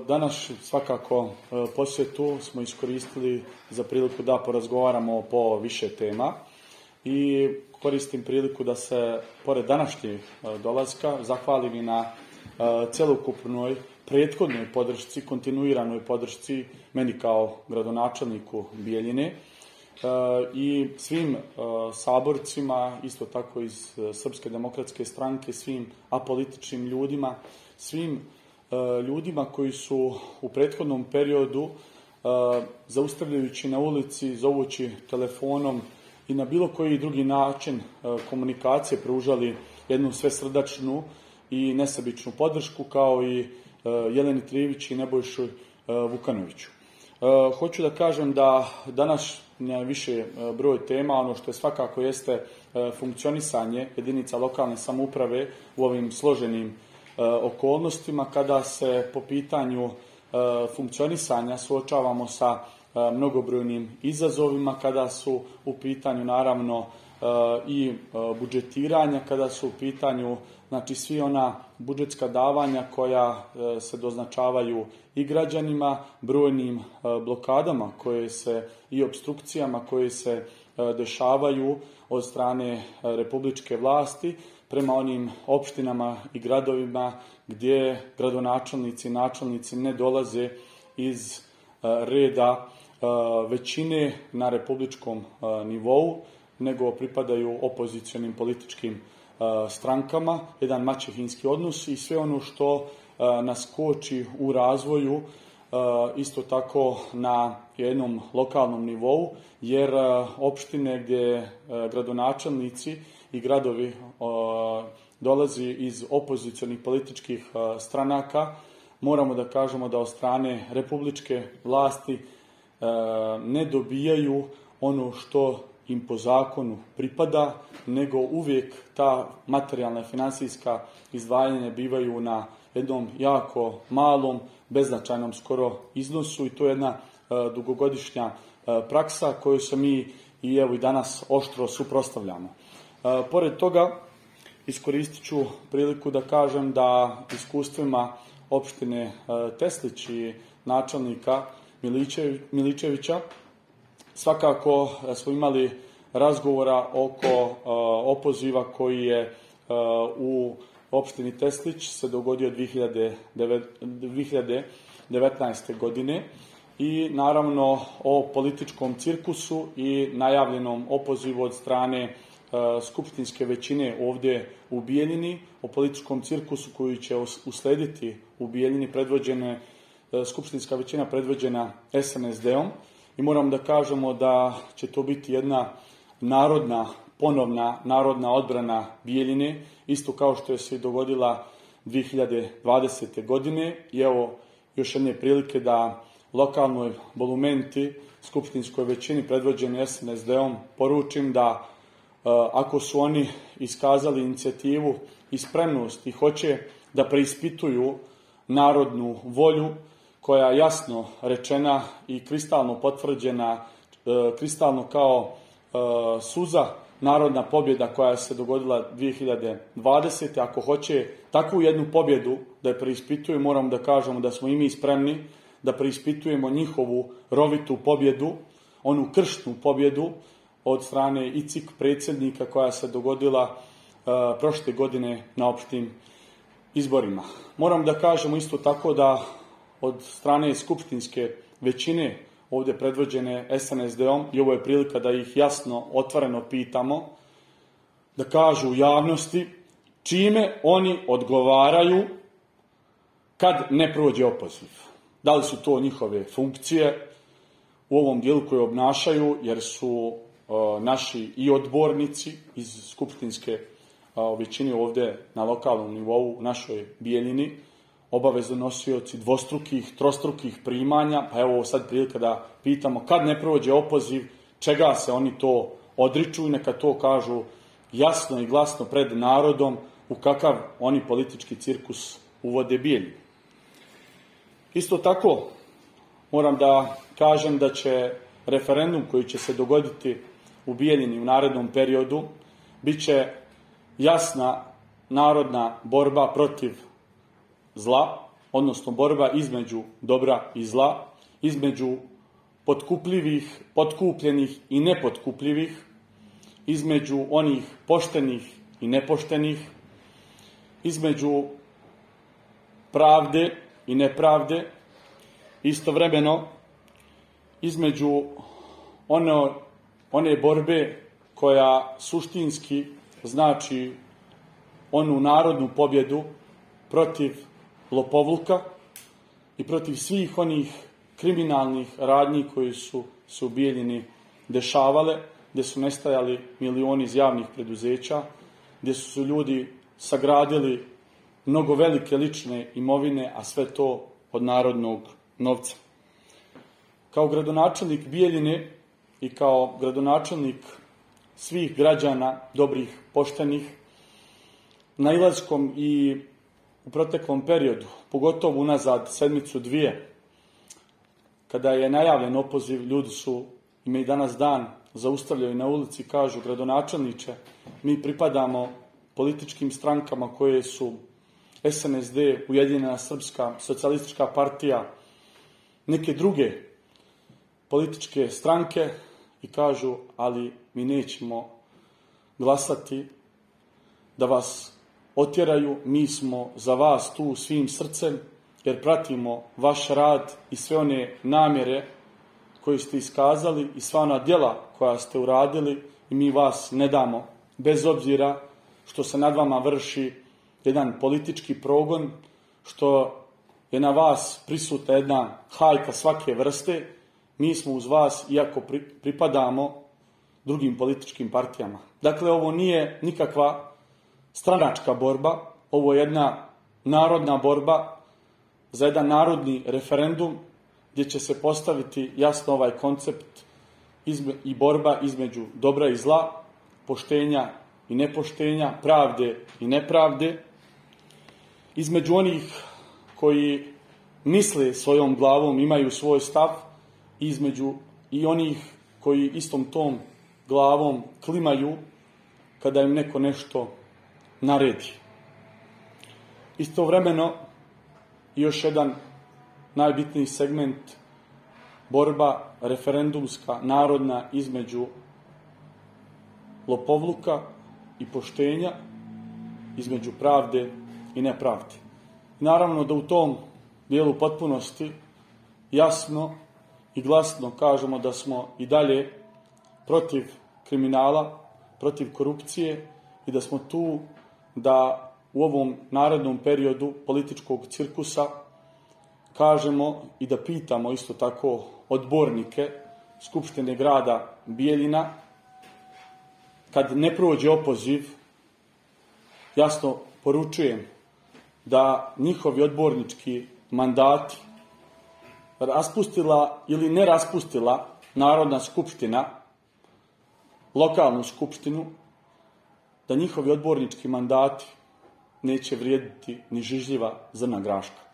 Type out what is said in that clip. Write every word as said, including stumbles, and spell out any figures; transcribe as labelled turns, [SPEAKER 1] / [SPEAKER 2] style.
[SPEAKER 1] Danas svakako posjetu smo iskoristili za priliku da porazgovaramo po više tema i koristim priliku da se, pored današnjeg dolaska, zahvalim i na celokupnoj prethodnoj podršci, kontinuiranoj podršci meni kao gradonačelniku Bijeljine i svim saborcima, isto tako iz Srpske demokratske stranke, svim apolitičnim ljudima, svim ljudima koji su u prethodnom periodu, zaustavljajući na ulici, zovući telefonom i na bilo koji drugi način komunikacije, pružali jednu svesrdačnu i nesebičnu podršku, kao i Jeleni Trivić i Nebojšu Vukanoviću. Hoću da kažem da danas više broj tema, ono što je svakako jeste funkcionisanje jedinica lokalne samouprave u ovim složenim okolnostima, kada se po pitanju funkcionisanja suočavamo sa mnogobrojnim izazovima, kada su u pitanju naravno i budžetiranja, kada su u pitanju znači svi ona budžetska davanja koja se doznačavaju i građanima, brojnim blokadama koje se i opstrukcijama koje se dešavaju od strane republičke vlasti prema onim opštinama i gradovima gdje gradonačelnici i načelnici ne dolaze iz reda većine na republičkom nivou, nego pripadaju opozicionim političkim strankama, jedan maćehinski odnos i sve ono što nas koči u razvoju, isto tako na jednom lokalnom nivou, jer opštine gdje gradonačelnici i gradovi dolazi iz opozicionih političkih stranaka, moramo da kažemo da od strane republičke vlasti ne dobijaju ono što im po zakonu pripada, nego uvijek ta materijalna i finansijska izdvajanja bivaju na jednom jako malom, beznačajnom skoro iznosu i to je jedna dugogodišnja praksa koju se mi i evo i danas oštro suprotstavljamo. Pored toga, iskoristit ću priliku da kažem da iskustvima opštine Teslić i načelnika Miličevića svakako smo imali razgovora oko opoziva koji je u opštini Teslić se dogodio dve hiljade devetnaeste. godine i naravno o političkom cirkusu i najavljenom opozivu od strane skupštinske većine ovdje u Bijeljini, o političkom cirkusu koji će uslediti u Bijeljini, predvođene, skupštinska većina predvođena es en es de-om. I moram da kažemo da će to biti jedna narodna, ponovna narodna odbrana Bijeljine, isto kao što je se i dogodila dve hiljade dvadesete. godine. I evo još jedne prilike da lokalnoj bolumenti, skupštinskoj većini predvođeni es en es de-om poručim da ako su oni iskazali inicijativu i spremnost i hoće da preispituju narodnu volju, koja je jasno rečena i kristalno potvrđena, kristalno kao suza, narodna pobjeda koja se dogodila dve hiljade dvadesete. Ako hoće takvu jednu pobjedu da je preispituju, moram da kažemo da smo i mi spremni da preispitujemo njihovu rovitu pobjedu, onu kršnu pobjedu od strane i cik predsjednika koja se dogodila prošle godine na opštim izborima. Moram da kažemo isto tako da od strane skupštinske većine ovdje predvođene es en es de-om, i ovo je prilika da ih jasno, otvoreno pitamo, da kažu u javnosti čime oni odgovaraju kad ne prođe opoziv. Da li su to njihove funkcije u ovom dijelu koje obnašaju, jer su uh, naši i odbornici iz skupštinske uh, većine ovdje na lokalnom nivou u našoj Bijeljini, obavezno nosioci dvostrukih, trostrukih primanja, pa evo sad prilika da pitamo kad ne prođe opoziv, čega se oni to odriču i neka to kažu jasno i glasno pred narodom u kakav oni politički cirkus uvode Bijeljinu. Isto tako moram da kažem da će referendum koji će se dogoditi u Bijeljini u narednom periodu bit će jasna narodna borba protiv zla, odnosno borba između dobra i zla, između potkupljivih, potkupljenih i nepotkupljivih, između onih poštenih i nepoštenih, između pravde i nepravde, istovremeno između one, one borbe koja suštinski znači onu narodnu pobjedu protiv lopovluka i protiv svih onih kriminalnih radnji koji su se u Bijeljini dešavale, gdje su nestajali milioni iz javnih preduzeća, gdje su ljudi sagradili mnogo velike lične imovine, a sve to od narodnog novca. Kao gradonačelnik Bijeljine i kao gradonačelnik svih građana, dobrih, poštenih, nailaskom i u proteklom periodu, pogotovo unazad sedmicu dvije, kada je najavljen opoziv, ljudi su, ima i danas dan, zaustavljaju na ulici i kažu: gradonačelniče, mi pripadamo političkim strankama koje su S N S D, Ujedinjena Srpska socijalistička partija, neke druge političke stranke, i kažu: ali mi nećemo glasati da vas otjeraju, mi smo za vas tu svim srcem, jer pratimo vaš rad i sve one namjere koje ste iskazali i sva ona djela koja ste uradili, i mi vas ne damo, bez obzira što se nad vama vrši jedan politički progon, što je na vas prisutna jedna hajka svake vrste. Mi smo uz vas, iako pripadamo drugim političkim partijama. Dakle, ovo nije nikakva stranačka borba, ovo je jedna narodna borba za jedan narodni referendum, gdje će se postaviti jasno ovaj koncept i borba između dobra i zla, poštenja i nepoštenja, pravde i nepravde, između onih koji misle svojom glavom, imaju svoj stav, između i onih koji istom tom glavom klimaju kada im neko nešto naredi. Istovremeno, još jedan najbitniji segment, borba referendumska, narodna, između lopovluka i poštenja, između pravde i nepravde. Naravno da u tom dijelu potpunosti jasno i glasno kažemo da smo i dalje protiv kriminala, protiv korupcije i da smo tu da u ovom narednom periodu političkog cirkusa kažemo i da pitamo isto tako odbornike Skupštine grada Bijeljina, kad ne prođe opoziv, jasno poručujem da njihovi odbornički mandati raspustila ili ne raspustila Narodna skupština, lokalnu skupštinu, da njihovi odbornički mandati neće vrijediti ni žižljiva zrna graška.